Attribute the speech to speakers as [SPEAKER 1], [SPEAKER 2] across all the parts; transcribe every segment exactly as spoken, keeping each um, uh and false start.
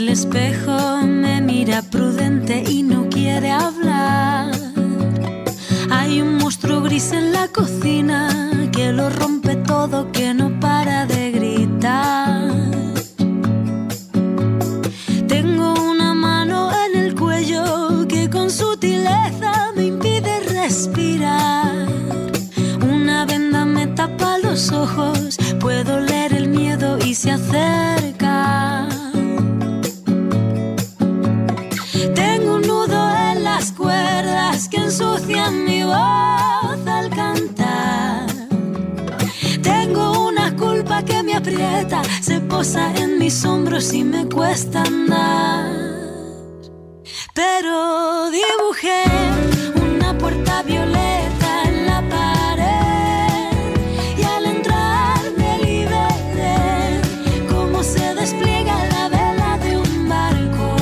[SPEAKER 1] el espejo me mira prudente y no quiere hablar. Hay un monstruo gris en la cocina que lo rompe todo, que no para de gritar. Tengo una mano en el cuello que con sutileza me impide respirar. Una venda me tapa los ojos, puedo leer el miedo y se acerca. Tengo un nudo en las cuerdas que ensucian mi voz al cantar. Tengo una culpa que me aprieta, se posa en mis hombros y me cuesta andar. Pero dibujé una puerta violeta en la pared y al entrar me liberé, como se despliega la vela de un barco.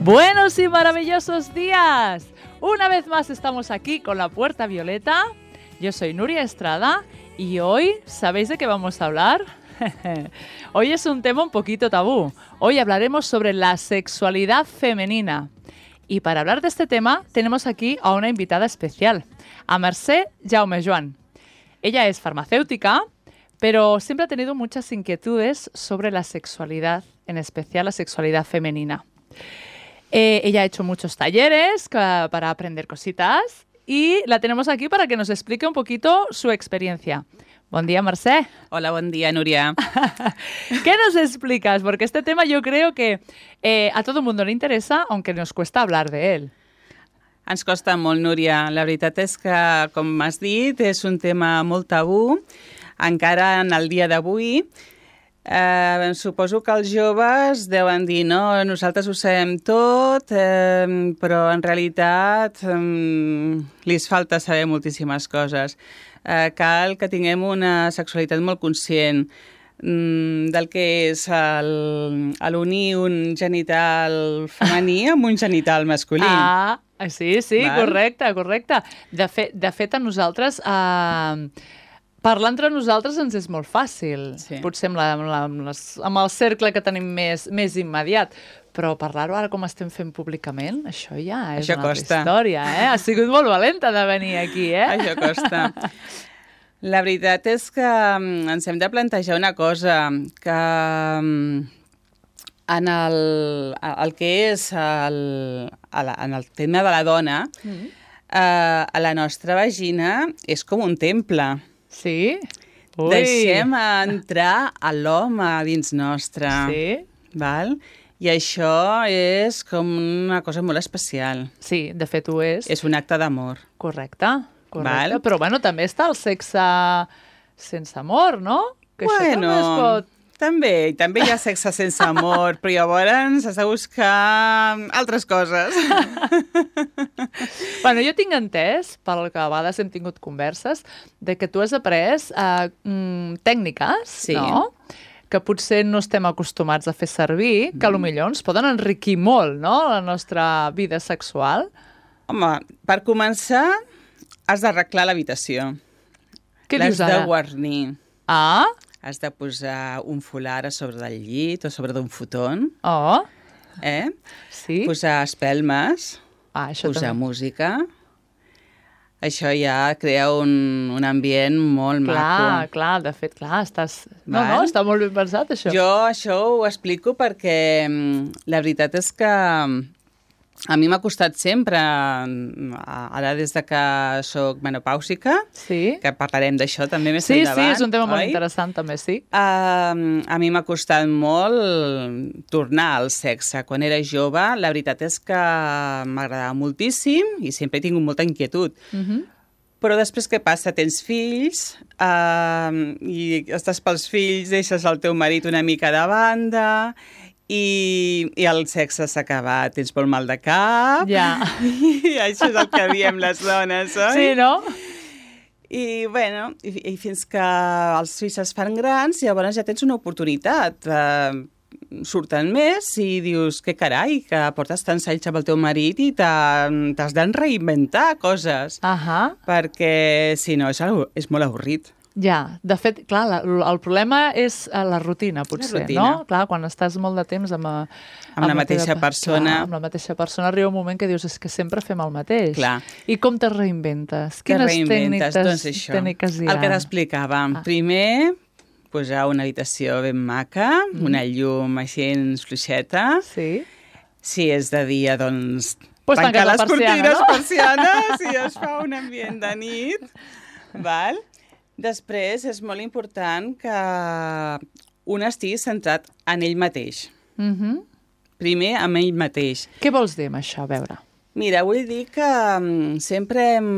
[SPEAKER 2] Buenos y maravillosos días. Una vez más estamos aquí con la Puerta Violeta. Yo soy Nuria Estrada y hoy, ¿sabéis de qué vamos a hablar? Hoy es un tema un poquito tabú. Hoy hablaremos sobre la sexualidad femenina. Y para hablar de este tema tenemos aquí a una invitada especial, a Mercè Jaumejoan. Ella es farmacéutica, pero siempre ha tenido muchas inquietudes sobre la sexualidad, en especial la sexualidad femenina. Eh, ella ha hecho muchos talleres uh, para aprender cositas y la tenemos aquí para que nos explique un poquito su experiencia. Buen día, Mercè.
[SPEAKER 3] Hola, buen día, Núria.
[SPEAKER 2] ¿Qué nos explicas? Porque este tema yo creo que eh, a todo el mundo le interesa, aunque nos cuesta hablar de él.
[SPEAKER 3] Ens costa molt, Núria. La veritat és que, com has dit, és un tema molt tabú, encara en el dia d'avui. Eh, suposo que els joves deuen dir, no, nosaltres ho sabem tot, eh, però en realitat eh, li falta saber moltíssimes coses. Eh, cal que tinguem una sexualitat molt conscient mm, del que és l'unir un genital femení amb un genital masculí.
[SPEAKER 2] Ah, sí, sí,
[SPEAKER 3] Val?
[SPEAKER 2] correcte, correcte. De, fe, de fet, a nosaltres... Eh, parlar entre nosaltres ens és molt fàcil, sí. Potser amb, la, amb, la, amb, les, amb el cercle que tenim més, més immediat, però parlar-ho ara com estem fent públicament, això ja és
[SPEAKER 3] això
[SPEAKER 2] una
[SPEAKER 3] costa.
[SPEAKER 2] altra història, eh? Ha sigut molt valenta de venir aquí, eh?
[SPEAKER 3] Això costa. La veritat és que ens hem de plantejar una cosa, que en el, el que és el, en el tema de la dona, mm. eh, a la nostra vagina és com un temple.
[SPEAKER 2] Sí? Ui.
[SPEAKER 3] Deixem entrar a l'home dins nostre.
[SPEAKER 2] Sí?
[SPEAKER 3] Val? I això és com una cosa molt especial.
[SPEAKER 2] Sí, de fet ho és.
[SPEAKER 3] És un acte d'amor.
[SPEAKER 2] Correcte, correcte.
[SPEAKER 3] Val?
[SPEAKER 2] Però bueno, també està el sexe sense amor, no? Que
[SPEAKER 3] bueno,
[SPEAKER 2] això també es pot...
[SPEAKER 3] també, també hi ha sexe sense amor, però llavors has de buscar altres coses.
[SPEAKER 2] Bueno, jo tinc entès, pel que a vegades hem tingut converses, de que tu has après eh, mm, tècniques,
[SPEAKER 3] sí.
[SPEAKER 2] No? Que potser no estem acostumats a fer servir, que mm. potser ens poden enriquir molt, no?, la nostra vida sexual.
[SPEAKER 3] Home, per començar, has d'arreglar l'habitació.
[SPEAKER 2] Què dius ara?
[SPEAKER 3] L'has de guarnir.
[SPEAKER 2] Ah?
[SPEAKER 3] Has de posar un folar a sobre del llit o sobre d'un futon.
[SPEAKER 2] Oh.
[SPEAKER 3] Eh?
[SPEAKER 2] Sí.
[SPEAKER 3] Posar espelmes.
[SPEAKER 2] Ah, això
[SPEAKER 3] posar
[SPEAKER 2] també.
[SPEAKER 3] Música. Això ja crea un, un ambient molt
[SPEAKER 2] clar,
[SPEAKER 3] maco.
[SPEAKER 2] Clar, clar, de fet, clar, estàs... No, Val? no, està molt ben pensat, això.
[SPEAKER 3] Jo això ho explico perquè la veritat és que a mi m'ha costat sempre, ara des de que soc menopàusica,
[SPEAKER 2] sí.
[SPEAKER 3] que parlarem d'això també més
[SPEAKER 2] sí,
[SPEAKER 3] endavant.
[SPEAKER 2] Sí, és un tema
[SPEAKER 3] oi?
[SPEAKER 2] molt interessant també, sí.
[SPEAKER 3] Uh, a mi m'ha costat molt tornar al sexe. Quan era jove, la veritat és que m'agradava moltíssim i sempre he tingut molta inquietud. Uh-huh. Però després què passa? Tens fills uh, i estàs pels fills, deixes el teu marit una mica de banda... I, i el sexe s'ha acabat, tens molt mal de cap,
[SPEAKER 2] ja.
[SPEAKER 3] I això és el que diem les dones, oi?
[SPEAKER 2] Sí, no?
[SPEAKER 3] I, bueno, i, i fins que els fills es fan grans, llavors ja tens una oportunitat. Eh, surten més i dius, que carai, que portes tants anys amb el teu marit i t'has de reinventar coses.
[SPEAKER 2] Uh-huh.
[SPEAKER 3] Perquè, si no, és, és molt avorrit.
[SPEAKER 2] Ja, de fet, clar, la, el problema és la rutina, potser,
[SPEAKER 3] la rutina.
[SPEAKER 2] no? Clar, quan estàs molt de temps amb...
[SPEAKER 3] Amb, amb la mateixa teva, persona.
[SPEAKER 2] Clar, amb la mateixa persona arriba un moment que dius és que sempre fem el mateix.
[SPEAKER 3] Clar.
[SPEAKER 2] I com te reinventes?
[SPEAKER 3] Te
[SPEAKER 2] Quines
[SPEAKER 3] reinventes,
[SPEAKER 2] tècniques,
[SPEAKER 3] doncs això,
[SPEAKER 2] tècniques hi ha?
[SPEAKER 3] El que t'explicava. Ah. Primer, posar una habitació ben maca, mm. una llum així fluixeta.
[SPEAKER 2] Sí.
[SPEAKER 3] Si és de dia, doncs...
[SPEAKER 2] Pues
[SPEAKER 3] tancar les cortines,
[SPEAKER 2] no?
[SPEAKER 3] persianes, i es fa un ambient de nit. Val? Després, és molt important que un estigui centrat en ell mateix.
[SPEAKER 2] Mm-hmm.
[SPEAKER 3] Primer, en ell mateix.
[SPEAKER 2] Què vols dir amb això? A veure.
[SPEAKER 3] Mira, vull dir que um, sempre hem,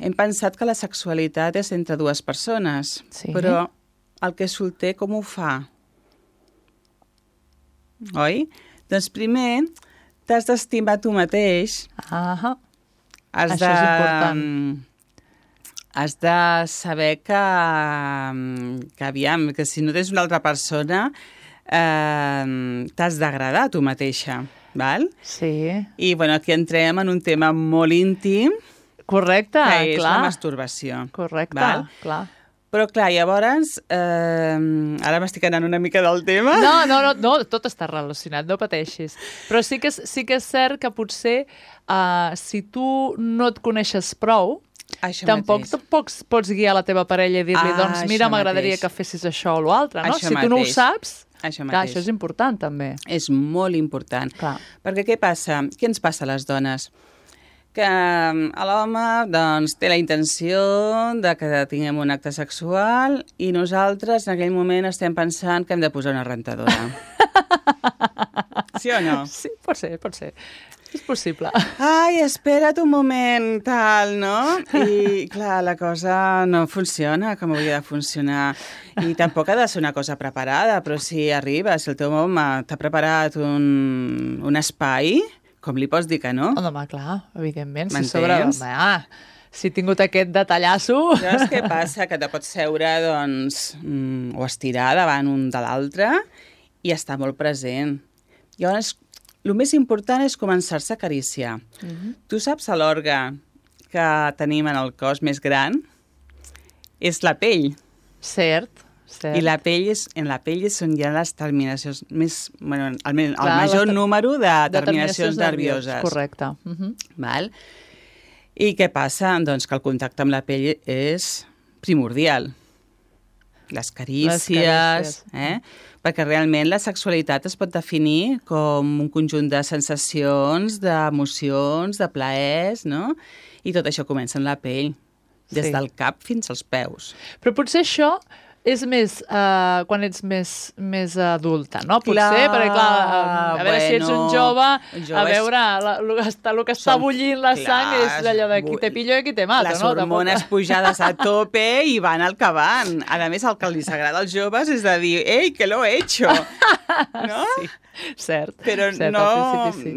[SPEAKER 3] hem pensat que la sexualitat és entre dues persones,
[SPEAKER 2] sí. Però
[SPEAKER 3] el que és solter, com ho fa? Oi? Doncs primer, t'has d'estimar tu mateix.
[SPEAKER 2] Ah,
[SPEAKER 3] has
[SPEAKER 2] això
[SPEAKER 3] de,
[SPEAKER 2] és important.
[SPEAKER 3] Has de saber que, que, aviam, que si no tens una altra persona, eh, t'has d'agradar tu mateixa, val?
[SPEAKER 2] Sí.
[SPEAKER 3] I, bueno, aquí entrem en un tema molt íntim.
[SPEAKER 2] Correcte,
[SPEAKER 3] que és
[SPEAKER 2] clar.
[SPEAKER 3] la masturbació.
[SPEAKER 2] Correcte,
[SPEAKER 3] val?
[SPEAKER 2] Clar.
[SPEAKER 3] Però, clar, llavors, eh, ara m'estic anant una mica del tema.
[SPEAKER 2] No, no, no, no, tot està relacionat, no pateixis. Però sí que és, sí que és cert que potser eh, si tu no et coneixes prou,
[SPEAKER 3] Això
[SPEAKER 2] tampoc
[SPEAKER 3] mateix.
[SPEAKER 2] pots, pots guiar la teva parella i dir-li,
[SPEAKER 3] Ah,
[SPEAKER 2] doncs mira,
[SPEAKER 3] això
[SPEAKER 2] m'agradaria
[SPEAKER 3] mateix.
[SPEAKER 2] que fessis això o l'altre, no?
[SPEAKER 3] Això
[SPEAKER 2] Si tu no ho
[SPEAKER 3] mateix.
[SPEAKER 2] saps,
[SPEAKER 3] Això
[SPEAKER 2] clar,
[SPEAKER 3] mateix.
[SPEAKER 2] això és important també.
[SPEAKER 3] És molt important.
[SPEAKER 2] Clar.
[SPEAKER 3] Perquè què passa? Què ens passa a les dones? Que l'home doncs, té la intenció de que tinguem un acte sexual i nosaltres en aquell moment estem pensant que hem de posar una rentadora. Sí o no?
[SPEAKER 2] Sí, pot ser, pot ser. És possible.
[SPEAKER 3] Ai, espera't un moment, tal, no? I, clar, la cosa no funciona com hauria de funcionar. I tampoc ha de ser una cosa preparada, però si arriba, si el teu home t'ha preparat un, un espai, com li pots dir que no?
[SPEAKER 2] Home, clar, evidentment. Si
[SPEAKER 3] M'entens?
[SPEAKER 2] sobre... Home, ah, si he tingut aquest detallasso...
[SPEAKER 3] Llavors, què passa? Que te pots seure, doncs, mm, o estirar davant un de l'altre i estar molt present. Llavors, el més important és començar-se a acariciar. Mm-hmm. Tu saps l'òrgan que tenim en el cos més gran? És la pell.
[SPEAKER 2] Cert, cert.
[SPEAKER 3] I la pell és, en la pell és on hi ha les terminacions més... Bueno, el, el
[SPEAKER 2] Clar,
[SPEAKER 3] major
[SPEAKER 2] les,
[SPEAKER 3] número de,
[SPEAKER 2] de
[SPEAKER 3] terminacions, terminacions nervioses.
[SPEAKER 2] Correcte. Mm-hmm.
[SPEAKER 3] Val? I què passa? Doncs que el contacte amb la pell és primordial. Les carícies,
[SPEAKER 2] Les carícies.
[SPEAKER 3] eh? Perquè realment la sexualitat es pot definir com un conjunt de sensacions, d'emocions, de plaers, no? I tot això comença en la pell, des
[SPEAKER 2] Sí.
[SPEAKER 3] del cap fins als peus.
[SPEAKER 2] Però potser això és més uh, quan ets més, més adulta, no? Potser,
[SPEAKER 3] Clar,
[SPEAKER 2] perquè clar, a, a veure si ets un
[SPEAKER 3] bueno,
[SPEAKER 2] jove,
[SPEAKER 3] un jove
[SPEAKER 2] a
[SPEAKER 3] és-
[SPEAKER 2] veure, la, el, que està, el que està
[SPEAKER 3] Som-
[SPEAKER 2] bullint la sang
[SPEAKER 3] clar,
[SPEAKER 2] és allò de qui te pillo i qui te mato,
[SPEAKER 3] Les
[SPEAKER 2] no?
[SPEAKER 3] hormones
[SPEAKER 2] Tampoc-
[SPEAKER 3] pujades a tope i van al que van. A més, el que els agrada als joves és de dir «Ei, que lo he hecho!» no?
[SPEAKER 2] Sí, cert.
[SPEAKER 3] Però
[SPEAKER 2] cert,
[SPEAKER 3] no,
[SPEAKER 2] al principi sí.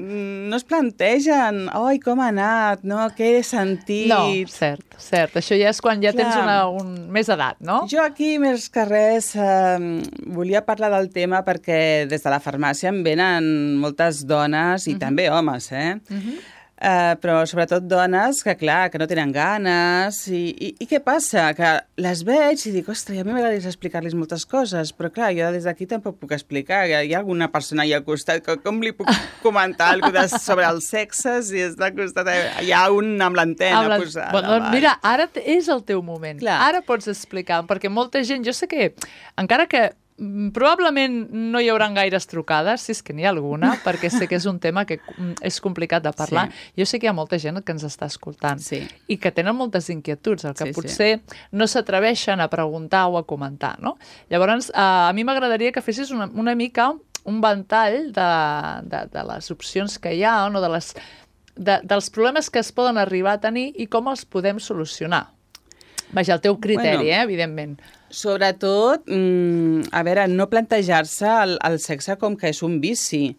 [SPEAKER 3] no es plantegen «Ai, com ha anat? No, què he sentit?»
[SPEAKER 2] No, cert, cert. Això ja és quan ja
[SPEAKER 3] Clar.
[SPEAKER 2] tens una, un, més edat, no?
[SPEAKER 3] Jo aquí, més que res, eh, volia parlar del tema perquè des de la farmàcia em venen moltes dones i
[SPEAKER 2] Mhm.
[SPEAKER 3] també homes, eh?
[SPEAKER 2] Mhm.
[SPEAKER 3] Uh, però sobretot dones que, clar, que no tenen ganes. I, i, i què passa? Que les veig i dic, ostres, a mi m'agradaria explicar-los moltes coses, però, clar, jo des d'aquí tampoc puc explicar. Hi ha alguna persona allà al costat que com li puc comentar alguna cosa sobre el sexe si és al costat? Hi ha un amb l'antena
[SPEAKER 2] Amb la-
[SPEAKER 3] posada.
[SPEAKER 2] Bueno, doncs
[SPEAKER 3] val?
[SPEAKER 2] mira, ara t- és el teu moment.
[SPEAKER 3] Clar.
[SPEAKER 2] Ara pots explicar, perquè molta gent, jo sé que, encara que mm, probablement no hi haurà gaires trucades, si és que n'hi ha alguna, perquè sé que és un tema que mm, és complicat de parlar.
[SPEAKER 3] Sí.
[SPEAKER 2] Jo sé que hi ha molta gent que ens està escoltant
[SPEAKER 3] Sí.
[SPEAKER 2] i que tenen moltes inquietuds, el que
[SPEAKER 3] Sí, sí.
[SPEAKER 2] potser no s'atreveixen a preguntar o a comentar, no? Llavors, eh, a mi m'agradaria que fessis una, una mica un ventall de, de, de les opcions que hi ha, no? de les, de, dels problemes que es poden arribar a tenir i com els podem solucionar. Vaja, el teu criteri,
[SPEAKER 3] Bueno.
[SPEAKER 2] eh, evidentment.
[SPEAKER 3] Sobretot, mm, a veure, no plantejar-se el, el sexe com que és un vici,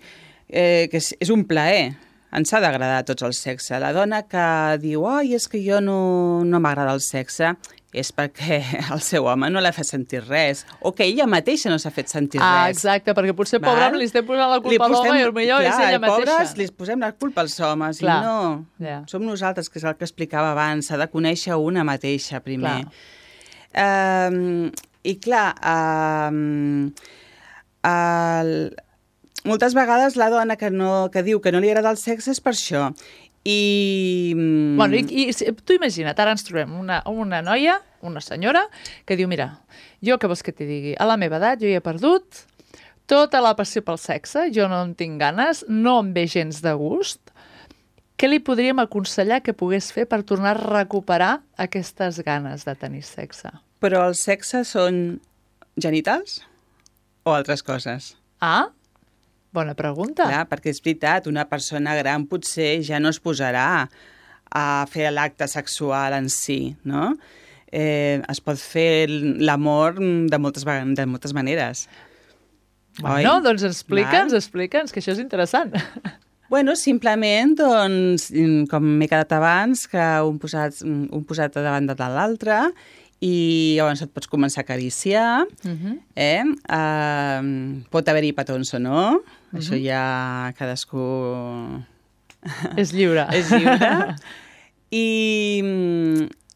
[SPEAKER 3] eh, que és, és un plaer. Ens ha d'agradar a tots el sexe. La dona que diu, ai, és que jo no, no m'agrada el sexe, és perquè el seu home no l'ha fet sentir res, o que ella mateixa no s'ha fet sentir
[SPEAKER 2] Ah,
[SPEAKER 3] res.
[SPEAKER 2] exacte, perquè potser,
[SPEAKER 3] Val?
[SPEAKER 2] pobre, li estem posant la
[SPEAKER 3] Li
[SPEAKER 2] culpa a l'home
[SPEAKER 3] posem-
[SPEAKER 2] i potser és
[SPEAKER 3] clar,
[SPEAKER 2] ella mateixa.
[SPEAKER 3] Pobres, li posem la culpa als homes,
[SPEAKER 2] Clar,
[SPEAKER 3] i no.
[SPEAKER 2] ja.
[SPEAKER 3] Som nosaltres, que és el que explicava abans, s'ha de conèixer una mateixa primer.
[SPEAKER 2] Clar.
[SPEAKER 3] Um, I clar, um, el, moltes vegades la dona que, no, que diu que no li agrada el sexe és per això. I...
[SPEAKER 2] Bueno, i, i tu imagina't, ara ens trobem una, una noia, una senyora, que diu, mira, jo què vols que t'hi digui? A la meva edat jo hi he perdut tota la passió pel sexe, jo no en tinc ganes, no em ve gens de gust. Què li podríem aconsellar que pogués fer per tornar a recuperar aquestes ganes de tenir sexe?
[SPEAKER 3] Però el sexe són genitals o altres coses?
[SPEAKER 2] Ah, bona pregunta.
[SPEAKER 3] Clar, perquè és veritat, una persona gran potser ja no es posarà a fer l'acte sexual en si, no? Eh, es pot fer l'amor de moltes, de moltes maneres.
[SPEAKER 2] Bueno,
[SPEAKER 3] oi?
[SPEAKER 2] Doncs explica'ns, explica'ns, que això és interessant.
[SPEAKER 3] Bueno, simplement, doncs, com m'he quedat abans, que un posat, un posat davant de l'altre i llavors et pots començar a acariciar, uh-huh. eh? Uh, pot haver-hi petons o no, uh-huh. Això ja cadascú...
[SPEAKER 2] És lliure.
[SPEAKER 3] És lliure. I,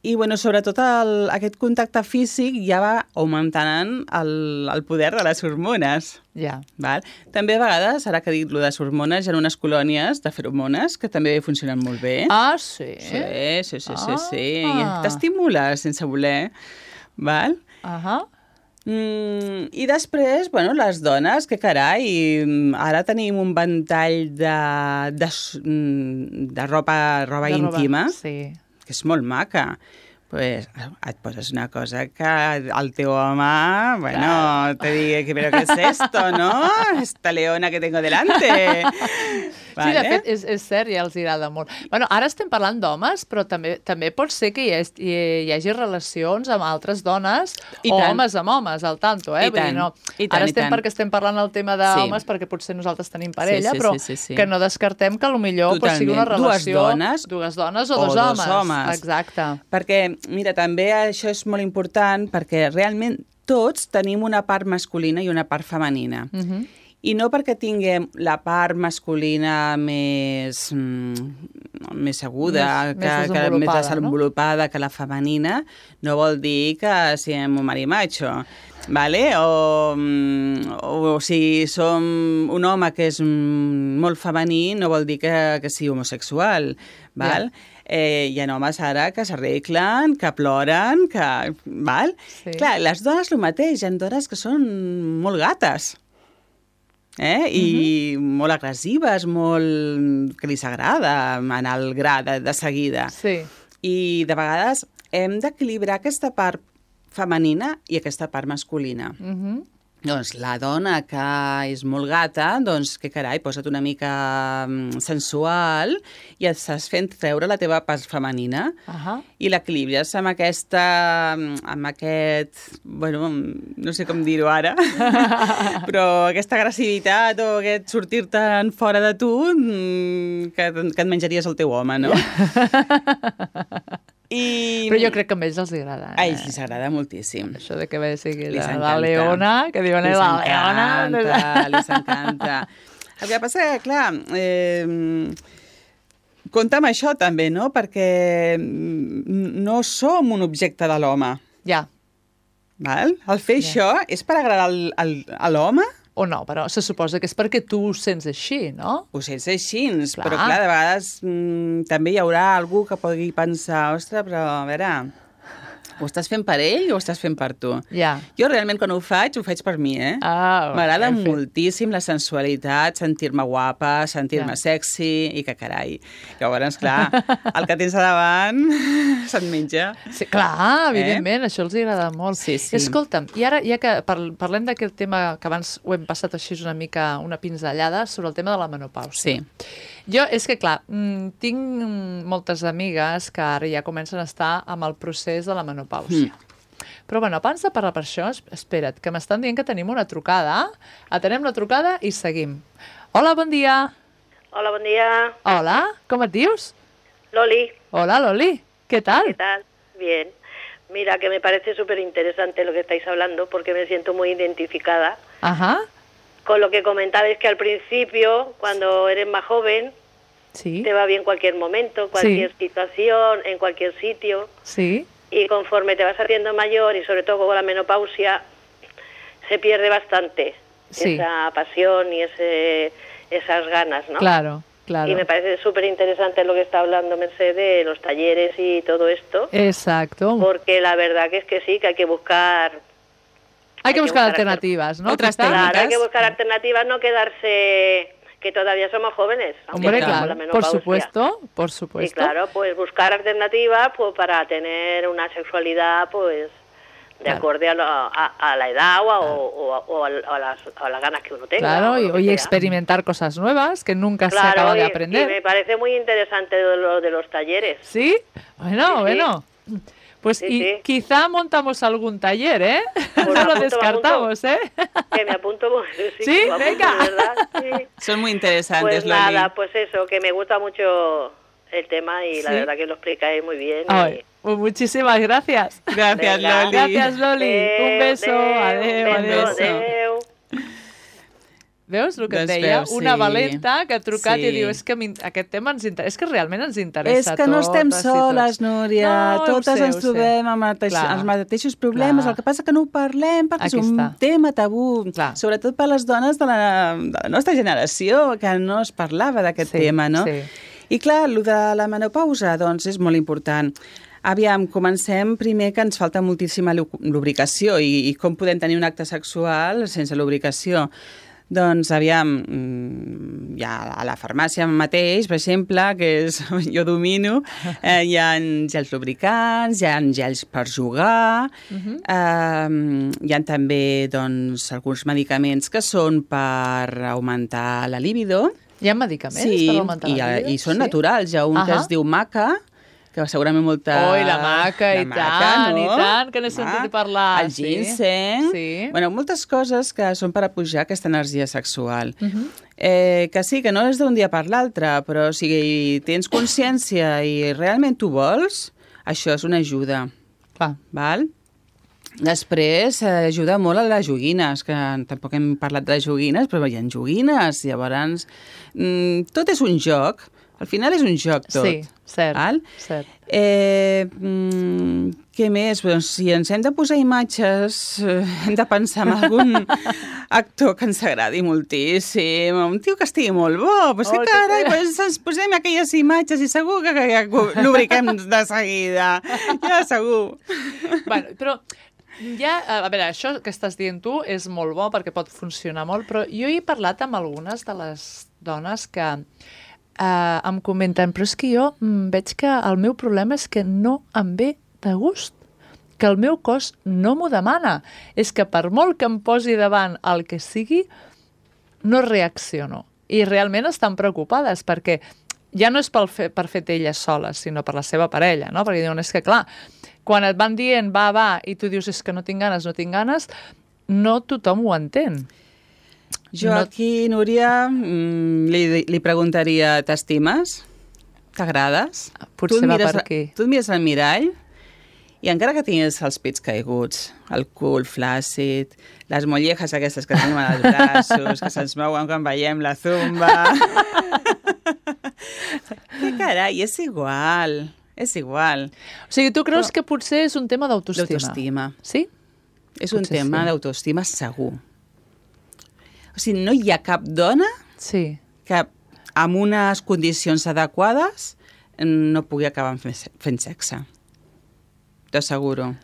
[SPEAKER 3] i bueno, sobretot el, aquest contacte físic ja va augmentant el, el poder de les hormones.
[SPEAKER 2] Ja.
[SPEAKER 3] Val? També a vegades, ara que dic lo de les hormones, hi ha unes colònies de feromones que també funcionen molt bé.
[SPEAKER 2] Ah, sí?
[SPEAKER 3] Sí, sí, sí, sí, sí.
[SPEAKER 2] Ah.
[SPEAKER 3] T'estimula sense voler. Val?
[SPEAKER 2] Ahà.
[SPEAKER 3] Mm, I després, bueno, les dones, que carai, ara tenim un ventall de, de, de roba, roba
[SPEAKER 2] de
[SPEAKER 3] íntima,
[SPEAKER 2] roba, sí.
[SPEAKER 3] Que és molt maca. Pues et poses una cosa que el teu home, bueno, claro. Te digue, pero ¿qué es esto, no? Esta leona que tengo delante.
[SPEAKER 2] Vale. Sí, de fet, és, és cert, ja els agrada molt. Bueno, ara estem parlant d'homes, però també també pot ser que hi, ha, hi, hi hagi relacions amb altres dones I o tant. homes amb homes, al tanto, eh?
[SPEAKER 3] I
[SPEAKER 2] Vull
[SPEAKER 3] tant.
[SPEAKER 2] dir, no.
[SPEAKER 3] I tant,
[SPEAKER 2] ara estem
[SPEAKER 3] i tant.
[SPEAKER 2] perquè estem parlant el tema d'homes, sí. Perquè potser nosaltres tenim parella, sí, sí, però sí, sí, sí. Que no descartem que potser pues, sigui una relació...
[SPEAKER 3] Dues dones,
[SPEAKER 2] dues dones o,
[SPEAKER 3] o
[SPEAKER 2] dos,
[SPEAKER 3] dos
[SPEAKER 2] homes.
[SPEAKER 3] homes.
[SPEAKER 2] Exacte.
[SPEAKER 3] Perquè, mira, també això és molt important perquè realment tots tenim una part masculina i una part femenina. Uh-huh. I no perquè tinguem la part masculina més, mm, més aguda,
[SPEAKER 2] més,
[SPEAKER 3] que,
[SPEAKER 2] més
[SPEAKER 3] que, més
[SPEAKER 2] desenvolupada,
[SPEAKER 3] no? Que la femenina, no vol dir que siguem un marimacho. Vale? O, o, o si som un home que és molt femení, no vol dir que, que sigui homosexual. Val? Yeah. Eh, hi ha homes ara que s'arreglen, que ploren, que... Val? Sí. Clar, les dones el mateix, hi ha dones que són molt gates. Eh? I uh-huh. molt agressives, molt... que li s'agrada anar al gra de, de seguida.
[SPEAKER 2] Sí.
[SPEAKER 3] I de vegades hem d'equilibrar aquesta part femenina i aquesta part masculina. Uh-huh. Doncs la dona que és molt gata, doncs que carai, posa't una mica sensual i et estàs fent treure la teva part femenina uh-huh. I l'equilibres amb aquesta, amb aquest, bueno, no sé com dir-ho ara, però aquesta agressivitat o aquest sortir-te'n fora de tu que, que et menjaries el teu home, no? I...
[SPEAKER 2] Però jo crec que a ells els agrada. Eh?
[SPEAKER 3] A ells els agrada moltíssim.
[SPEAKER 2] Això de que ve sigui la, la leona, que diuen la leona.
[SPEAKER 3] Les encanta. El que passa que, clar, eh, compta amb això també, no? Perquè no som un objecte de l'home.
[SPEAKER 2] Ja.
[SPEAKER 3] Val? El fer ja. Això és per agradar al, al, a l'home?
[SPEAKER 2] O no, però se suposa que és perquè tu ho sents així, no?
[SPEAKER 3] Ho sents així, clar. Però clar, de vegades mm, també hi haurà algú que pugui pensar, ostres, però a veure, ho estàs fent per ell o ho estàs fent per tu?
[SPEAKER 2] Ja.
[SPEAKER 3] Jo realment quan ho faig, ho faig per mi, eh?
[SPEAKER 2] Ah,
[SPEAKER 3] m'agrada moltíssim la sensualitat, sentir-me guapa, sentir-me ja. Sexy i que carai. Llavors, clar, el que tens a davant se't menja.
[SPEAKER 2] Sí, clar, evidentment, eh? Això els agrada molt.
[SPEAKER 3] Sí, sí.
[SPEAKER 2] Escolta'm, i ara, ja que parlem d'aquest tema que abans ho hem passat així una mica, una pinzellada, sobre el tema de la menopàusia.
[SPEAKER 3] Sí.
[SPEAKER 2] Jo, és que clar, tinc moltes amigues que ara ja comencen a estar amb el procés de la menopàusia. Mm. Però, bueno, abans de parlar per això, espera't, que m'estan dient que tenim una trucada. Atenem la trucada i seguim. Hola, bon dia.
[SPEAKER 4] Hola, bon dia.
[SPEAKER 2] Hola, com et dius?
[SPEAKER 4] Loli.
[SPEAKER 2] Hola, Loli. ¿Qué tal?
[SPEAKER 4] ¿Qué tal? Bien. Mira, que me parece súper interesante lo que estáis hablando porque me siento muy identificada.
[SPEAKER 2] Ajá.
[SPEAKER 4] Con lo que comentabais que al principio, cuando eres más joven,
[SPEAKER 2] sí.
[SPEAKER 4] Te va bien cualquier momento, cualquier sí. situación, en cualquier sitio.
[SPEAKER 2] Sí.
[SPEAKER 4] y conforme te vas haciendo mayor y sobre todo con la menopausia, se pierde bastante
[SPEAKER 2] Sí.
[SPEAKER 4] esa pasión y ese, esas ganas, ¿no?
[SPEAKER 2] Claro, claro.
[SPEAKER 4] Y me parece súper interesante lo que está hablando Merced de los talleres y todo esto,
[SPEAKER 2] Exacto.
[SPEAKER 4] porque la verdad que es que sí, que hay que buscar...
[SPEAKER 2] Hay que buscar
[SPEAKER 4] buscar
[SPEAKER 2] alternativas, ¿no?
[SPEAKER 3] Otras
[SPEAKER 2] Quizá.
[SPEAKER 3] técnicas.
[SPEAKER 4] Claro, hay que buscar alternativas, no quedarse... que todavía somos jóvenes. aunque
[SPEAKER 2] Hombre,
[SPEAKER 4] tengamos la
[SPEAKER 2] claro, por
[SPEAKER 4] menopausia.
[SPEAKER 2] supuesto, por
[SPEAKER 4] Y
[SPEAKER 2] supuesto.
[SPEAKER 4] claro, pues buscar alternativas pues para tener una sexualidad pues de
[SPEAKER 2] Claro.
[SPEAKER 4] acorde a la, a, a la edad o a, o, a- o a, a las, a las ganas que uno tenga.
[SPEAKER 2] Claro,
[SPEAKER 4] o
[SPEAKER 2] y,
[SPEAKER 4] lo que
[SPEAKER 2] y
[SPEAKER 4] sea.
[SPEAKER 2] experimentar cosas nuevas que nunca se
[SPEAKER 4] Claro,
[SPEAKER 2] acaba de
[SPEAKER 4] y-
[SPEAKER 2] aprender.
[SPEAKER 4] Y me parece muy interesante lo de los talleres.
[SPEAKER 2] ¿Sí? Bueno,
[SPEAKER 4] Sí, sí.
[SPEAKER 2] bueno. Pues
[SPEAKER 4] Sí,
[SPEAKER 2] y
[SPEAKER 4] sí.
[SPEAKER 2] quizá montamos algún taller, ¿eh?
[SPEAKER 4] Pues
[SPEAKER 2] no
[SPEAKER 4] me
[SPEAKER 2] lo
[SPEAKER 4] apunto, me
[SPEAKER 2] descartamos, ¿eh?
[SPEAKER 4] Que me apunto, sí,
[SPEAKER 2] Sí,
[SPEAKER 4] me apunto,
[SPEAKER 2] venga.
[SPEAKER 4] ¿verdad? Sí.
[SPEAKER 3] Son muy interesantes,
[SPEAKER 4] Pues
[SPEAKER 3] Loli.
[SPEAKER 4] nada, pues eso, que me gusta mucho el tema y la
[SPEAKER 2] Sí.
[SPEAKER 4] verdad que lo explicáis muy bien. y-
[SPEAKER 2] Ay, pues muchísimas gracias.
[SPEAKER 3] Gracias,
[SPEAKER 4] Venga.
[SPEAKER 3] Loli.
[SPEAKER 2] Gracias, Loli. Un
[SPEAKER 4] Adeu,
[SPEAKER 2] beso. Adeu,
[SPEAKER 4] adeu,
[SPEAKER 2] adeu.
[SPEAKER 3] beso.
[SPEAKER 4] adeu.
[SPEAKER 2] Veus el que et
[SPEAKER 3] Doncs
[SPEAKER 2] deia?
[SPEAKER 3] veus,
[SPEAKER 2] Una
[SPEAKER 3] sí.
[SPEAKER 2] valenta que ha trucat
[SPEAKER 3] Sí.
[SPEAKER 2] i diu és que m'in- aquest tema ens interessa. És que realment ens interessa
[SPEAKER 3] És que no
[SPEAKER 2] a
[SPEAKER 3] estem
[SPEAKER 2] totes i tots.
[SPEAKER 3] soles, Núria.
[SPEAKER 2] No, ho
[SPEAKER 3] Totes
[SPEAKER 2] sé,
[SPEAKER 3] ens
[SPEAKER 2] ho sé.
[SPEAKER 3] trobem amb mateix,
[SPEAKER 2] Clar.
[SPEAKER 3] els mateixos problemes.
[SPEAKER 2] Clar.
[SPEAKER 3] El que passa que no ho parlem perquè
[SPEAKER 2] Aquí
[SPEAKER 3] és un
[SPEAKER 2] està.
[SPEAKER 3] tema tabú.
[SPEAKER 2] Clar.
[SPEAKER 3] Sobretot per les dones de la, de la nostra generació, que no es parlava d'aquest
[SPEAKER 2] Sí,
[SPEAKER 3] tema, no?
[SPEAKER 2] sí.
[SPEAKER 3] I clar, el de la menopausa, doncs, és molt important. Aviam, comencem primer que ens falta moltíssima lu- lubricació i, i com podem tenir un acte sexual sense lubricació. Doncs, aviam, mm, hi ha a la farmàcia mateix, per exemple, que és, jo domino, eh, hi ha gels lubricants, hi ha gels per jugar, uh -huh. eh, hi ha també doncs, alguns medicaments que són per augmentar la libido.
[SPEAKER 2] Hi ha medicaments
[SPEAKER 3] Sí,
[SPEAKER 2] per augmentar
[SPEAKER 3] i,
[SPEAKER 2] la vida?
[SPEAKER 3] i són
[SPEAKER 2] Sí?
[SPEAKER 3] naturals. Hi ha un que
[SPEAKER 2] Ahà.
[SPEAKER 3] es diu maca, que segurament molta...
[SPEAKER 2] Oi, la maca, i tant, i tant, que n'he
[SPEAKER 3] Home,
[SPEAKER 2] sentit parlar,
[SPEAKER 3] El
[SPEAKER 2] sí.
[SPEAKER 3] ginseng...
[SPEAKER 2] Sí.
[SPEAKER 3] Bueno, moltes coses que són per apujar aquesta energia sexual.
[SPEAKER 2] Uh -huh.
[SPEAKER 3] eh, que sí, que no és d'un dia per l'altre, però si tens consciència i realment tu vols, això és una ajuda.
[SPEAKER 2] Clar.
[SPEAKER 3] Val? Després, eh, ajuda molt a les joguines, que tampoc hem parlat de les joguines, però hi ha joguines, llavors... Mm, tot és un joc, al final és un joc tot.
[SPEAKER 2] Sí, cert,
[SPEAKER 3] Val?
[SPEAKER 2] cert.
[SPEAKER 3] Eh, mm, què més? Doncs, si ens hem de posar imatges, eh, hem de pensar en algun actor que ens agradi moltíssim, un tio que estigui molt bo, doncs
[SPEAKER 2] Oh,
[SPEAKER 3] que
[SPEAKER 2] que
[SPEAKER 3] carai,
[SPEAKER 2] sí.
[SPEAKER 3] doncs ens posem aquelles imatges i segur que, que ja lubriquem de seguida, ja segur.
[SPEAKER 2] Bueno, però ja, a veure, això que estàs dient tu és molt bo perquè pot funcionar molt, però jo he parlat amb algunes de les dones que eh, em comenten, però és que jo mm, veig que el meu problema és que no em ve de gust, que el meu cos no m'ho demana. És que per molt que em posi davant el que sigui, no reacciono. I realment estan preocupades perquè ja no és pel fe, per fet elles soles, sinó per la seva parella, no? Perquè diuen, és que clar, quan et van dient va, va, i tu dius és que no tinc ganes, no tinc ganes, no tothom ho entén.
[SPEAKER 3] Jo
[SPEAKER 2] No-
[SPEAKER 3] aquí, Núria, mm, li, li preguntaria, t'estimes? T'agrades?
[SPEAKER 2] Potser
[SPEAKER 3] Tu et
[SPEAKER 2] va
[SPEAKER 3] mires
[SPEAKER 2] per
[SPEAKER 3] a-
[SPEAKER 2] aquí.
[SPEAKER 3] Tu et mires al mirall i encara que tinguis els pits caiguts, el cul flàcid, les mollejas aquestes que tenim als braços, que se'ns mouen quan veiem la zumba... Que carai, és igual, és igual.
[SPEAKER 2] O sigui, tu creus
[SPEAKER 3] Però-
[SPEAKER 2] que potser és un tema d'autoestima?
[SPEAKER 3] L'autoestima.
[SPEAKER 2] Sí?
[SPEAKER 3] És un
[SPEAKER 2] Potser
[SPEAKER 3] tema
[SPEAKER 2] sí.
[SPEAKER 3] d'autoestima segur. O sigui, no hi ha cap dona
[SPEAKER 2] Sí.
[SPEAKER 3] que amb unes condicions adequades no pugui acabar fent, fent sexe. T'asseguro.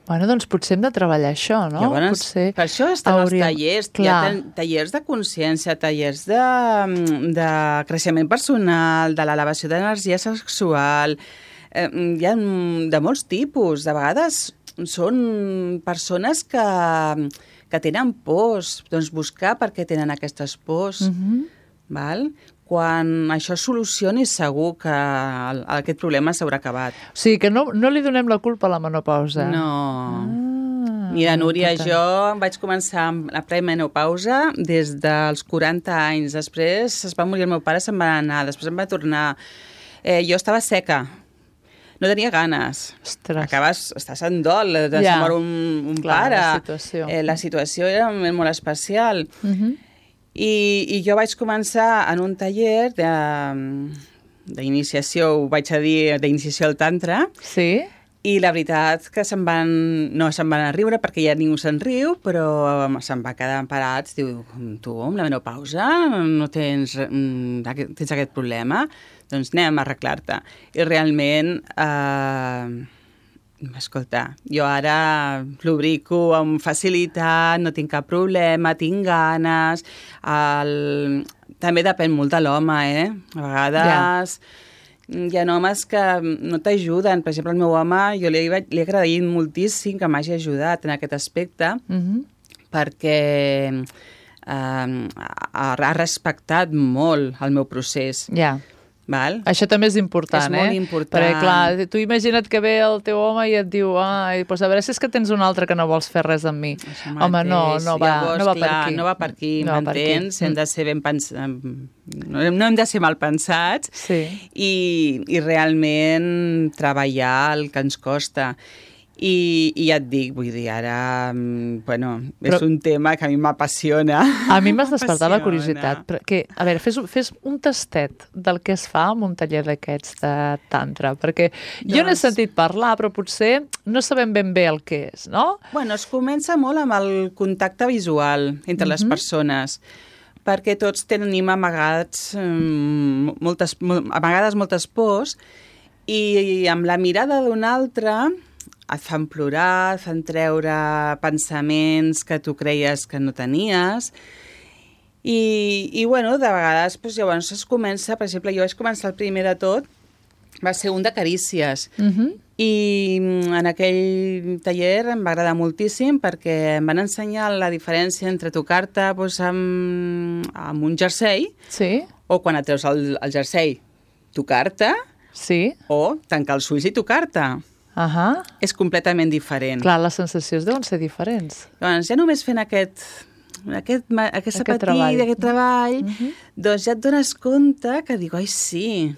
[SPEAKER 2] Bueno, doncs potser hem de treballar això, no?
[SPEAKER 3] Llavors,
[SPEAKER 2] potser
[SPEAKER 3] per això estan
[SPEAKER 2] hauríem-
[SPEAKER 3] els tallers. Hi
[SPEAKER 2] Clar.
[SPEAKER 3] ha ta- tallers de consciència, tallers de, de creixement personal, de l'elevació d'energia sexual. Eh, hi ha de molts tipus. De vegades són persones que, que tenen pors. Doncs buscar per què tenen aquestes pors.
[SPEAKER 2] Mhm.
[SPEAKER 3] Val? Quan això es solucioni, segur que el, aquest problema s'haurà acabat.
[SPEAKER 2] O sigui, que no, no li donem la culpa a la menopausa.
[SPEAKER 3] No.
[SPEAKER 2] Ah,
[SPEAKER 3] Mira, Núria,
[SPEAKER 2] important.
[SPEAKER 3] jo vaig començar amb la premenopausa des dels quaranta anys. Després es va morir el meu pare, se'n va anar. Després em va tornar. Eh, jo estava seca. No tenia ganes.
[SPEAKER 2] Ostres.
[SPEAKER 3] Acabes, estàs en dol, de
[SPEAKER 2] Ja.
[SPEAKER 3] ja. mor un, un
[SPEAKER 2] Clar,
[SPEAKER 3] pare.
[SPEAKER 2] la situació.
[SPEAKER 3] Eh, la situació era molt especial.
[SPEAKER 2] Mhm.
[SPEAKER 3] I, I jo vaig començar en un taller de- d'iniciació, ho vaig a dir, d'iniciació al tantra,
[SPEAKER 2] Sí?
[SPEAKER 3] I la veritat que se'n van, no se'n van a riure perquè ja ningú se'n riu, però se'n va quedar parats. Diu, tu, amb la menopausa no tens, tens aquest problema? Doncs anem a arreglar-te. I realment, eh, escolta, jo ara lubrico amb facilitat, no tinc cap problema, tinc ganes. El... També depèn molt de l'home, eh? A vegades... Ja. Hi ha homes que no t'ajuden. Per exemple, el meu home, jo li, li he agraït moltíssim que m'hagi ajudat en aquest aspecte, mm-hmm. perquè eh, ha, ha respectat molt el meu procés.
[SPEAKER 2] Ja. Yeah.
[SPEAKER 3] Val?
[SPEAKER 2] Això també és important,
[SPEAKER 3] és
[SPEAKER 2] eh?
[SPEAKER 3] És molt important.
[SPEAKER 2] Perquè, clar, tu imagina't que ve el teu home i et diu, ai, doncs a veure si és que tens un altre que no vols fer res amb mi. Home, no, no va,
[SPEAKER 3] Llavors,
[SPEAKER 2] no va
[SPEAKER 3] clar,
[SPEAKER 2] per aquí.
[SPEAKER 3] No va per aquí,
[SPEAKER 2] no
[SPEAKER 3] m'entens? Hem de ser ben pensats, no, no hem de ser mal pensats,
[SPEAKER 2] sí.
[SPEAKER 3] i, i realment treballar el que ens costa. I, i ja et dic, vull dir, ara, bueno, és Però, un tema que a mi m'apassiona.
[SPEAKER 2] A mi m'has despertat la curiositat. Perquè, a veure, fes, fes un tastet del que es fa en un taller d'aquests de tantra, perquè doncs... jo n'he sentit parlar, però potser no sabem ben bé el que és, no?
[SPEAKER 3] Bueno, es comença molt amb el contacte visual entre mm-hmm. les persones, perquè tots tenim amagats, moltes, amagades moltes pors, i amb la mirada d'un altre et fan plorar, et fan treure pensaments que tu creies que no tenies. I, i bueno, de vegades, doncs, llavors es comença, per exemple, jo vaig començar el primer de tot, va ser un de carícies. Uh-huh. I en aquell taller em va agradar moltíssim perquè em van ensenyar la diferència entre tocar-te doncs, amb, amb un jersei,
[SPEAKER 2] sí.
[SPEAKER 3] o quan et treus el, el jersei, tocar-te,
[SPEAKER 2] sí.
[SPEAKER 3] o tancar els ulls i tocar-te.
[SPEAKER 2] Uh-huh.
[SPEAKER 3] És completament diferent.
[SPEAKER 2] Clar, les sensacions deuen ser diferents.
[SPEAKER 3] Doncs ja només fent aquest, aquest, aquesta
[SPEAKER 2] aquest
[SPEAKER 3] petit,
[SPEAKER 2] treball,
[SPEAKER 3] aquest treball
[SPEAKER 2] uh-huh.
[SPEAKER 3] doncs ja et dones compte que dic, ai sí,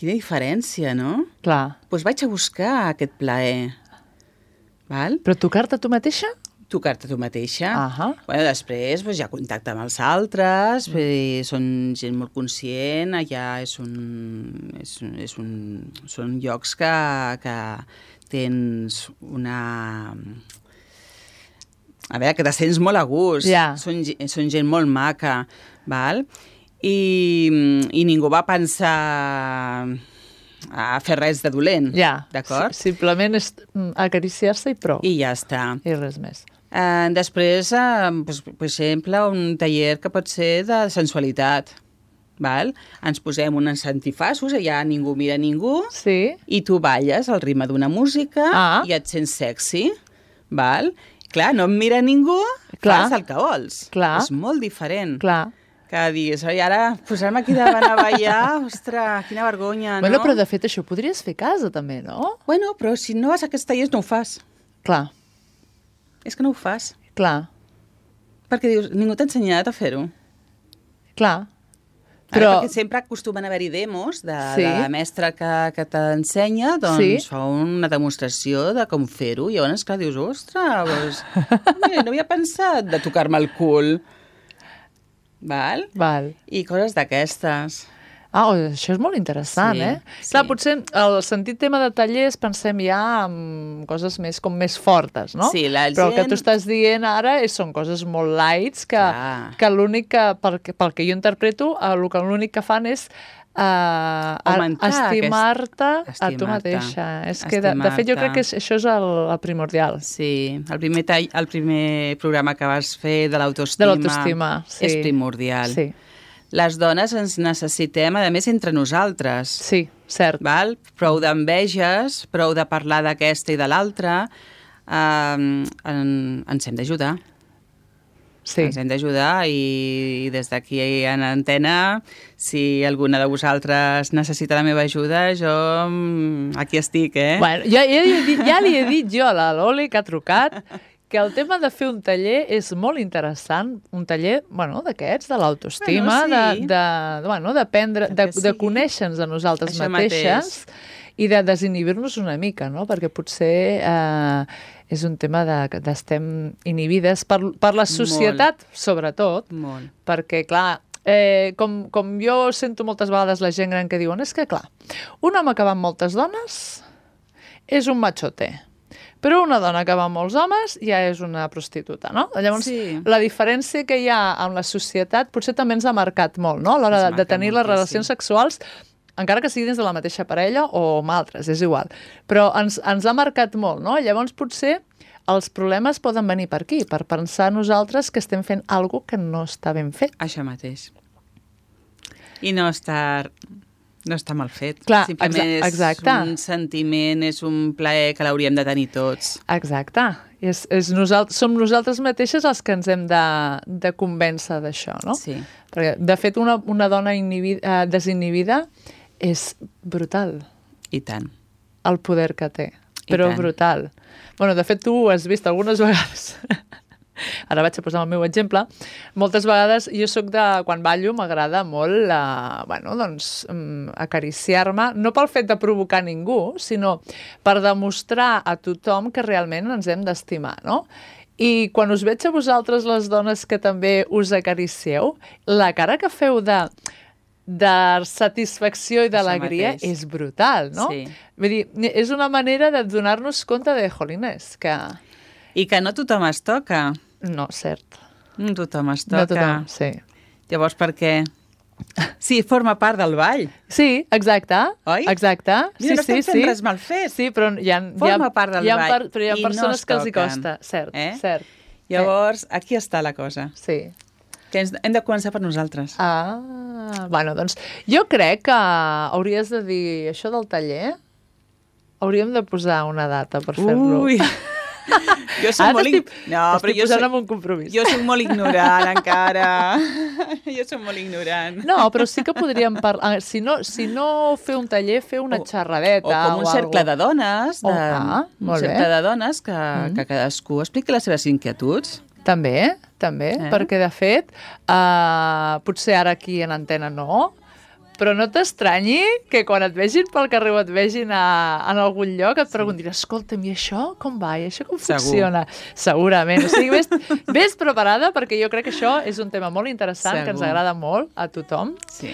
[SPEAKER 3] quina diferència, no?
[SPEAKER 2] Clar.
[SPEAKER 3] Doncs vaig a buscar aquest plaer. Val?
[SPEAKER 2] Però tocar-te tu mateixa?
[SPEAKER 3] Tocar-te tu mateixa.
[SPEAKER 2] Uh-huh.
[SPEAKER 3] Bueno, després doncs, ja contacte amb els altres, uh-huh. són gent molt conscient, allà és un, és, és un, són llocs que, que tens una... A veure, que te sents molt a gust.
[SPEAKER 2] Yeah.
[SPEAKER 3] Són, són gent molt maca, val? I, i ningú va pensar a fer res de dolent,
[SPEAKER 2] ja,
[SPEAKER 3] d'acord?
[SPEAKER 2] Sí, simplement és acariciar-se i prou.
[SPEAKER 3] I ja està.
[SPEAKER 2] I res més.
[SPEAKER 3] Uh, després, uh, pues, per exemple, un taller que pot ser de sensualitat. Val? Ens posem uns antifassos, allà ningú mira ningú,
[SPEAKER 2] sí.
[SPEAKER 3] i tu balles al ritme d'una música
[SPEAKER 2] ah.
[SPEAKER 3] i et sents sexy. Val? Clar, no em mira ningú,
[SPEAKER 2] Clar.
[SPEAKER 3] fas el que vols.
[SPEAKER 2] Clar.
[SPEAKER 3] És molt diferent.
[SPEAKER 2] Clar.
[SPEAKER 3] Que diguis, oi, ara posar-me aquí davant a ballar, ostres, quina vergonya,
[SPEAKER 2] bueno,
[SPEAKER 3] no?
[SPEAKER 2] Però de fet això ho podries fer a casa també, no?
[SPEAKER 3] Bueno, però si no vas a aquests tallers no ho fas.
[SPEAKER 2] Clar.
[SPEAKER 3] És que no ho fas.
[SPEAKER 2] Clar.
[SPEAKER 3] Perquè dius, ningú t'ha ensenyat a fer-ho.
[SPEAKER 2] Clar.
[SPEAKER 3] Però... Ara, perquè sempre acostumen a haver-hi demos de, sí. de la mestra que, que t'ensenya, doncs sí. fa una demostració de com fer-ho. I llavors, clar, dius, ostres, doncs, no havia pensat de tocar-me el cul. Val?
[SPEAKER 2] Val.
[SPEAKER 3] I coses d'aquestes.
[SPEAKER 2] Ah, això és molt interessant,
[SPEAKER 3] sí,
[SPEAKER 2] eh?
[SPEAKER 3] Sí.
[SPEAKER 2] Clar, potser el sentit tema de tallers pensem ja en coses més, com més fortes, no?
[SPEAKER 3] Sí, la
[SPEAKER 2] Però
[SPEAKER 3] gent...
[SPEAKER 2] el que tu estàs dient ara és, són coses molt lights que, que l'únic que, pel, pel que jo interpreto, el que l'únic que fan és uh, estimar-te aquest... a tu mateixa. És que, de, de fet, jo crec que és, això és el, el primordial.
[SPEAKER 3] Sí, el primer, tall, el primer programa que vas fer de l'autoestima
[SPEAKER 2] de l'autoestima, sí.
[SPEAKER 3] és primordial.
[SPEAKER 2] Sí.
[SPEAKER 3] Les dones ens necessitem, a més, entre nosaltres.
[SPEAKER 2] Sí, cert.
[SPEAKER 3] Val? Prou d'enveges, prou de parlar d'aquesta i de l'altra, eh, en, ens hem d'ajudar.
[SPEAKER 2] Sí.
[SPEAKER 3] Ens hem d'ajudar i, i des d'aquí en antena, si alguna de vosaltres necessita la meva ajuda, jo aquí estic, eh?
[SPEAKER 2] Bueno, ja, ja, li he dit, ja li he dit jo a la Loli, que ha trucat, que el tema de fer un taller és molt interessant, un taller, bueno, d'aquests, de l'autoestima,
[SPEAKER 3] bueno, sí.
[SPEAKER 2] de, de, bueno, d'aprendre, de, sí. de conèixer-nos a nosaltres
[SPEAKER 3] Això
[SPEAKER 2] mateixes mateix. I de desinhibir-nos una mica, no? Perquè potser eh, és un tema de, d'estem inhibides per, per la societat, molt. Sobretot,
[SPEAKER 3] molt.
[SPEAKER 2] Perquè, clar, eh, com, com jo sento moltes vegades la gent gran que diuen, és que, clar, un home que va amb moltes dones és un machote. Però una dona que va amb molts homes ja és una prostituta, no? Llavors,
[SPEAKER 3] Sí.
[SPEAKER 2] la diferència que hi ha amb la societat potser també ens ha marcat molt, no? A l'hora
[SPEAKER 3] Ens
[SPEAKER 2] de, de
[SPEAKER 3] marca
[SPEAKER 2] tenir les
[SPEAKER 3] moltíssim.
[SPEAKER 2] relacions sexuals, encara que sigui dins de la mateixa parella o amb altres, és igual. Però ens, ens ha marcat molt, no? Llavors, potser els problemes poden venir per aquí, per pensar nosaltres que estem fent alguna que no està ben fet.
[SPEAKER 3] Això mateix. I no està, no està mal fet.
[SPEAKER 2] Clar,
[SPEAKER 3] Simplement
[SPEAKER 2] exa- exacte.
[SPEAKER 3] és un sentiment, és un plaer que l'hauríem de tenir tots.
[SPEAKER 2] Exacte. És, és nosalt som nosaltres mateixes els que ens hem de, de convèncer d'això, no?
[SPEAKER 3] Sí.
[SPEAKER 2] Perquè, de fet, una, una dona inhibida, eh, desinhibida és brutal,
[SPEAKER 3] I tant.
[SPEAKER 2] el poder que té.
[SPEAKER 3] I
[SPEAKER 2] Però
[SPEAKER 3] tant.
[SPEAKER 2] brutal. Bueno, de fet, tu ho has vist algunes vegades. Ara vaig a posar el meu exemple. Moltes vegades jo sóc de... Quan ballo m'agrada molt eh, bueno, doncs, mm, acariciar-me, no pel fet de provocar ningú, sinó per demostrar a tothom que realment ens hem d'estimar, no? I quan us veig a vosaltres, les dones que també us acaricieu, la cara que feu de, de satisfacció i d'alegria
[SPEAKER 3] mateix.
[SPEAKER 2] és brutal, no?
[SPEAKER 3] Sí.
[SPEAKER 2] Vull dir, és una manera de donar-nos compte de, jolines, que...
[SPEAKER 3] I que no tothom es toca.
[SPEAKER 2] No, cert.
[SPEAKER 3] No tothom es toca.
[SPEAKER 2] No tothom, sí.
[SPEAKER 3] Llavors, per què? Sí, forma part del ball.
[SPEAKER 2] Sí, exacte.
[SPEAKER 3] Oi?
[SPEAKER 2] Exacte.
[SPEAKER 3] Mira,
[SPEAKER 2] sí,
[SPEAKER 3] no estem
[SPEAKER 2] sí,
[SPEAKER 3] fent
[SPEAKER 2] sí.
[SPEAKER 3] res mal fet.
[SPEAKER 2] Sí, però hi ha,
[SPEAKER 3] Forma
[SPEAKER 2] hi ha,
[SPEAKER 3] part del
[SPEAKER 2] hi ha
[SPEAKER 3] ball
[SPEAKER 2] però hi ha
[SPEAKER 3] i no
[SPEAKER 2] persones
[SPEAKER 3] es
[SPEAKER 2] que els hi
[SPEAKER 3] toquen.
[SPEAKER 2] costa. Cert,
[SPEAKER 3] Eh?
[SPEAKER 2] cert.
[SPEAKER 3] Llavors, aquí està la cosa.
[SPEAKER 2] Sí.
[SPEAKER 3] Que ens, hem de començar per nosaltres.
[SPEAKER 2] Ah, bueno, doncs jo crec que hauries de dir això del taller, hauríem de posar una data per fer-lo.
[SPEAKER 3] Ui! Jo soc
[SPEAKER 2] Ara
[SPEAKER 3] molt...
[SPEAKER 2] t'estic-
[SPEAKER 3] ig- No, però
[SPEAKER 2] t'estic
[SPEAKER 3] jo
[SPEAKER 2] posant
[SPEAKER 3] soc,
[SPEAKER 2] en un compromís.
[SPEAKER 3] jo soc molt ignorant encara. Jo soc molt ignorant.
[SPEAKER 2] No, però sí que podríem parlar... Si no, si no fer un taller, fer una
[SPEAKER 3] O-
[SPEAKER 2] xerradeta.
[SPEAKER 3] O com un
[SPEAKER 2] o
[SPEAKER 3] cercle
[SPEAKER 2] algo.
[SPEAKER 3] de dones, de,
[SPEAKER 2] Oh, ah,
[SPEAKER 3] un
[SPEAKER 2] molt bé.
[SPEAKER 3] cercle de dones que,
[SPEAKER 2] Mm.
[SPEAKER 3] que cadascú expliqui les seves inquietuds.
[SPEAKER 2] També, també,
[SPEAKER 3] Eh?
[SPEAKER 2] perquè de fet, uh, potser ara aquí en antena no, però no t'estranyi que quan et vegin pel carrer o et vegin a, en algun lloc et preguntin, escolta'm, i això com va? I això com
[SPEAKER 3] Segur.
[SPEAKER 2] funciona? Segurament. O sigui, vés, vés preparada perquè jo crec que això és un tema molt interessant,
[SPEAKER 3] Segur.
[SPEAKER 2] que ens agrada molt a tothom.
[SPEAKER 3] Sí.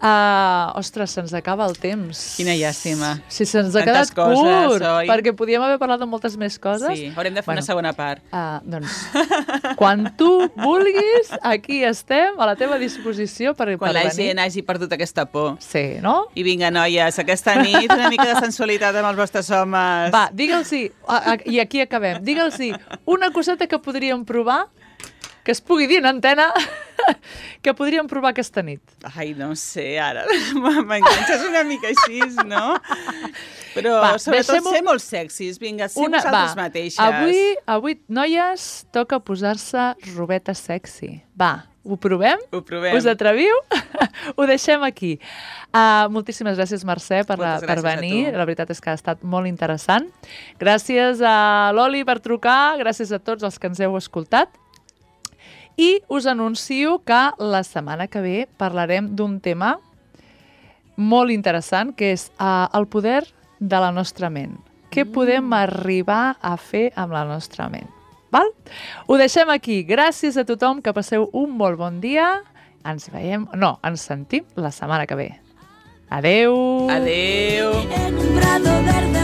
[SPEAKER 2] Uh, ostres, se'ns acaba el temps.
[SPEAKER 3] Quina llàstima.
[SPEAKER 2] Sí, se'ns ha
[SPEAKER 3] Tantes
[SPEAKER 2] quedat
[SPEAKER 3] coses,
[SPEAKER 2] curt,
[SPEAKER 3] oi?
[SPEAKER 2] perquè podíem haver parlat de moltes més coses.
[SPEAKER 3] Sí, haurem de fer
[SPEAKER 2] Bueno.
[SPEAKER 3] una segona part.
[SPEAKER 2] Uh, doncs, quan tu vulguis, aquí estem, a la teva disposició per,
[SPEAKER 3] Quan
[SPEAKER 2] per
[SPEAKER 3] la
[SPEAKER 2] venir.
[SPEAKER 3] gent hagi perdut aquesta por.
[SPEAKER 2] Sí, no?
[SPEAKER 3] I vinga, noies, aquesta nit una mica de sensualitat amb els vostres homes.
[SPEAKER 2] Va, digue'ls-hi, a- a- i aquí acabem, digue'ls-hi una coseta que podríem provar, que es pugui dir en antena, que podríem provar aquesta nit.
[SPEAKER 3] Ai, no sé, ara m'enganxes una mica així, no? Però
[SPEAKER 2] Va,
[SPEAKER 3] sobretot
[SPEAKER 2] deixem-ho-
[SPEAKER 3] ser molt sexis. Vinga, ser
[SPEAKER 2] Una,
[SPEAKER 3] vosaltres
[SPEAKER 2] va,
[SPEAKER 3] mateixes.
[SPEAKER 2] avui, avui, noies, toca posar-se robeta sexy. Va, ho provem?
[SPEAKER 3] Ho provem.
[SPEAKER 2] Us atreviu? Ho deixem aquí. Uh, moltíssimes gràcies, Mercè, per,
[SPEAKER 3] Moltes
[SPEAKER 2] per
[SPEAKER 3] gràcies a
[SPEAKER 2] venir.
[SPEAKER 3] tu.
[SPEAKER 2] La veritat és que ha estat molt interessant. Gràcies a l'Oli per trucar, gràcies a tots els que ens heu escoltat. I us anuncio que la setmana que ve parlarem d'un tema molt interessant, que és uh, el poder de la nostra ment. Què podem arribar a fer amb la nostra ment? Val? Ho deixem aquí. Gràcies a tothom, que passeu un molt bon dia. Ens veiem, no, ens sentim la setmana que ve. Adeu!
[SPEAKER 3] Adeu!
[SPEAKER 1] En un prado verde